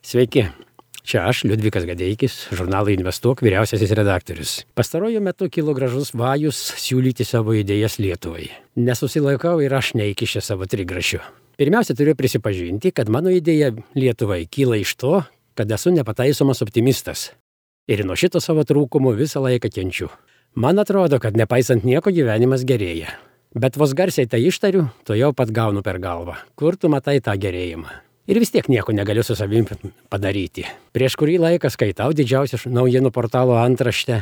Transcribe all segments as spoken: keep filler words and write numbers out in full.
Sveiki, čia aš, Liudvikas Gadeikis, žurnalo Investuok vyriausiasis redaktorius. Pastaruoju metu kilo gražus vajus siūlyti savo idėjas Lietuvai. Nesusilaikau ir aš neįkišęs savo trigrašių. Pirmiausia, turiu prisipažinti, kad mano idėja Lietuvai kyla iš to, kad esu nepataisomas optimistas. Ir nuo šito savo trūkumo visą laiką kenčiu. Man atrodo, kad nepaisant nieko gyvenimas gerėja. Bet vos garsiai tai ištariu, to jau pat gaunu per galvą. Kur tu matai tą gerėjimą? Ir vis tiek nieko negaliu su savim padaryti. Prieš kurį laiką skaitau didžiausią naujienų portalo antraštę.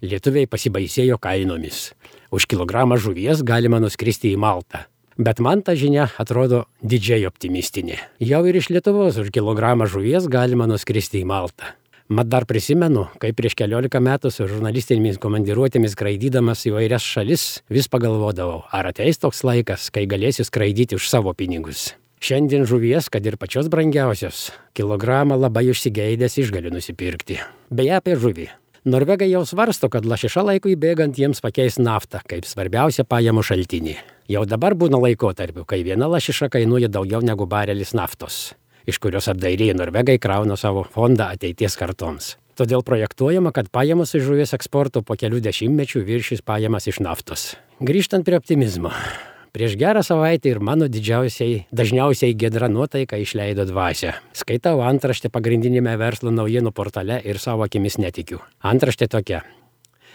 Lietuviai pasibaisėjo kainomis. Už kilogramą žuvies galima nuskristi į Maltą. Bet man ta žinia atrodo didžiai optimistinė. Jau ir iš Lietuvos už kilogramą žuvies galima nuskristi į Maltą. Mat dar prisimenu, kai prieš keliolika metų su žurnalistinėmis komandiruotėmis skraidydamas į vairias šalis, vis pagalvodavau, ar ateis toks laikas, kai galėsiu skraidyti už savo pinigus. Šiandien žuvies, kad ir pačios brangiausios, kilogramą labai užsigeidęs išgaliu nusipirkti. Beje, apie žuvį. Norvegai jau svarsto, kad lašiša laikui bėgant jiems pakeis naftą kaip svarbiausią pajamų šaltinį. Jau dabar būna laikotarpių, kai viena lašiša kainuoja daugiau negu barelis naftos, iš kurios apdairiai Norvegai krauna savo fondą ateities kartoms. Todėl projektuojama, kad pajamos iš žuvies eksporto po kelių dešimtmečių viršys pajamas iš naftos. Grįžtant prie optimizmo. Prieš gerą savaitę ir mano didžiausiai, dažniausiai giedra nuotaika išleido dvasią. Skaitau antraštę pagrindinėme verslo naujienų portale ir savo akimis netikiu. Antraštė tokia.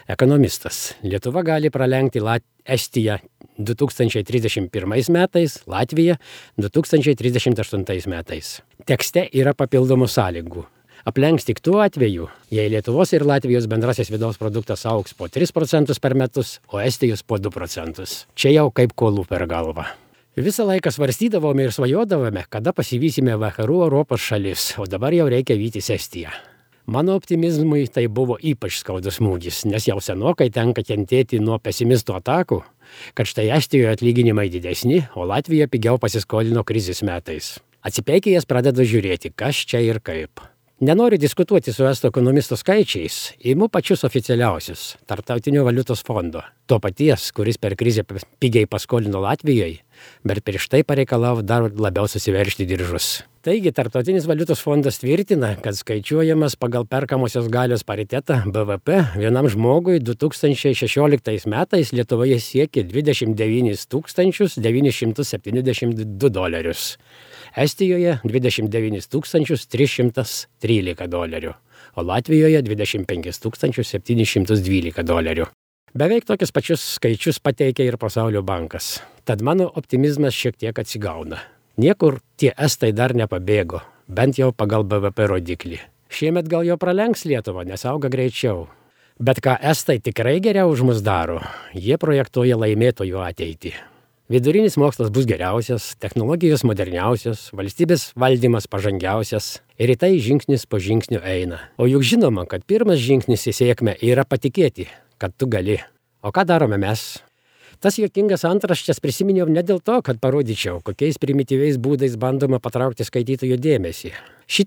Ekonomistas. Lietuva gali pralenkti Lat... Estiją du tūkstančiai trisdešimt pirmais metais, Latviją du tūkstančiai trisdešimt aštuntais metais. Tekste yra papildomų sąlygų. Aplenks tik tuo atveju, jei Lietuvos ir Latvijos bendrasis vidaus produktas augs po tris procentus per metus, o Estijos po du procentus. Čia jau kaip kolų per galvą. Visą laiką svarstydavome ir svajodavome, kada pasivysime vakarų Europos šalis, o dabar jau reikia vytis Estiją. Mano optimizmui tai buvo ypač skaudus smūgis, nes jau senokai tenka kentėti nuo pesimistų atakų, kad štai Estijoje atlyginimai didesni, o Latvija pigiau pasiskolino krizės metais. Atsipeikėjęs pradedu žiūrėti, kas čia ir kaip. Nenoriu diskutuoti su estų ekonomistų skaičiais, imu pačius oficialiausius – Tarptautinio valiutos fondo. To paties, kuris per krizę pigiai paskolino Latvijoje, bet prieš tai pareikalavo dar labiau susiveržti diržus. Taigi, Tarptautinis valiutos fondas tvirtina, kad skaičiuojamas pagal perkamosios galios paritetą B V P vienam žmogui du tūkstančiai šešioliktais metais Lietuvoje siekė dvidešimt devynis tūkstančius devynis šimtus septyniasdešimt du dolerius. Estijoje dvidešimt devynis tūkstančius tris šimtus trylika dolerių, o Latvijoje dvidešimt penkis tūkstančius septynis šimtus dvylika dolerių. Beveik tokius pačius skaičius pateikia ir Pasaulio bankas. Tad mano optimizmas šiek tiek atsigauna. Niekur tie estai dar nepabėgo, bent jau pagal B V P rodiklį. Šiemet gal jau pralenks Lietuvą, nes auga greičiau. Bet ką estai tikrai geriau už mus daro, jie projektuoja laimėtojų ateitį. Vidurinis mokslas bus geriausias, technologijos moderniausios, valstybės valdymas pažangiausias ir į tai žingsnis po žingsnio eina. O juk žinoma, kad pirmas žingsnis į sėkmę yra patikėti, kad tu gali. O ką darome mes? Tas juokingas antraštes prisiminiau ne dėl to, kad parodyčiau, kokiais primityviais būdais bandoma patraukti skaitytojų dėmesį. Ši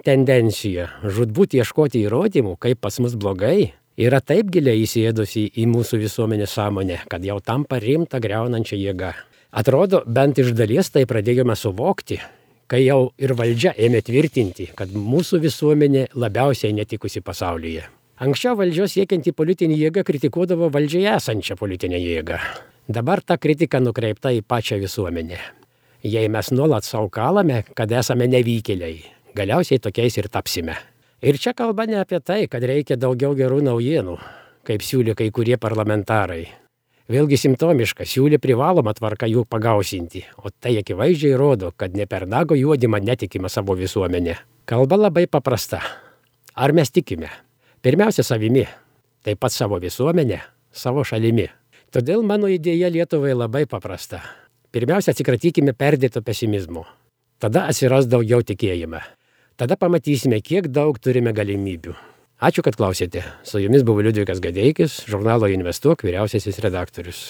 tendencija žūtbūt ieškoti įrodymų, kaip pas mus blogai, yra taip giliai įsėdusi į mūsų visuomenės sąmonę, kad jau tampa rimta griaunančia jėga. Atrodo, bent iš dalies tai pradėjome suvokti, kai jau ir valdžia ėmė tvirtinti, kad mūsų visuomenė labiausiai netikusi pasaulyje. Anksčiau valdžios siekianti politinė jėga kritikuodavo valdžioje esančią politinę jėgą. Dabar ta kritika nukreipta į pačią visuomenę. Jei mes nuolat sau kalame, kad esame nevykėliai, galiausiai tokiais ir tapsime. Ir čia kalba ne apie tai, kad reikia daugiau gerų naujienų, kaip siūlė kai kurie parlamentarai. Vėlgi simptomiška, siūlė privalomą tvarką jų pagausinti, o tai akivaizdžiai rodo, kad ne per nago juodimą netikime savo visuomenę. Kalba labai paprasta. Ar mes tikime? Pirmiausia savimi, taip pat savo visuomenę, savo šalimi. Todėl mano idėja Lietuvai labai paprasta. Pirmiausia, atsikratykime perdėto pesimizmo. Tada atsiras daugiau tikėjime. Tada pamatysime, kiek daug turime galimybių. Ačiū, kad klausėte. Su jumis buvo Liudvikas Gadeikis, žurnalo Investuok vyriausiasis redaktorius.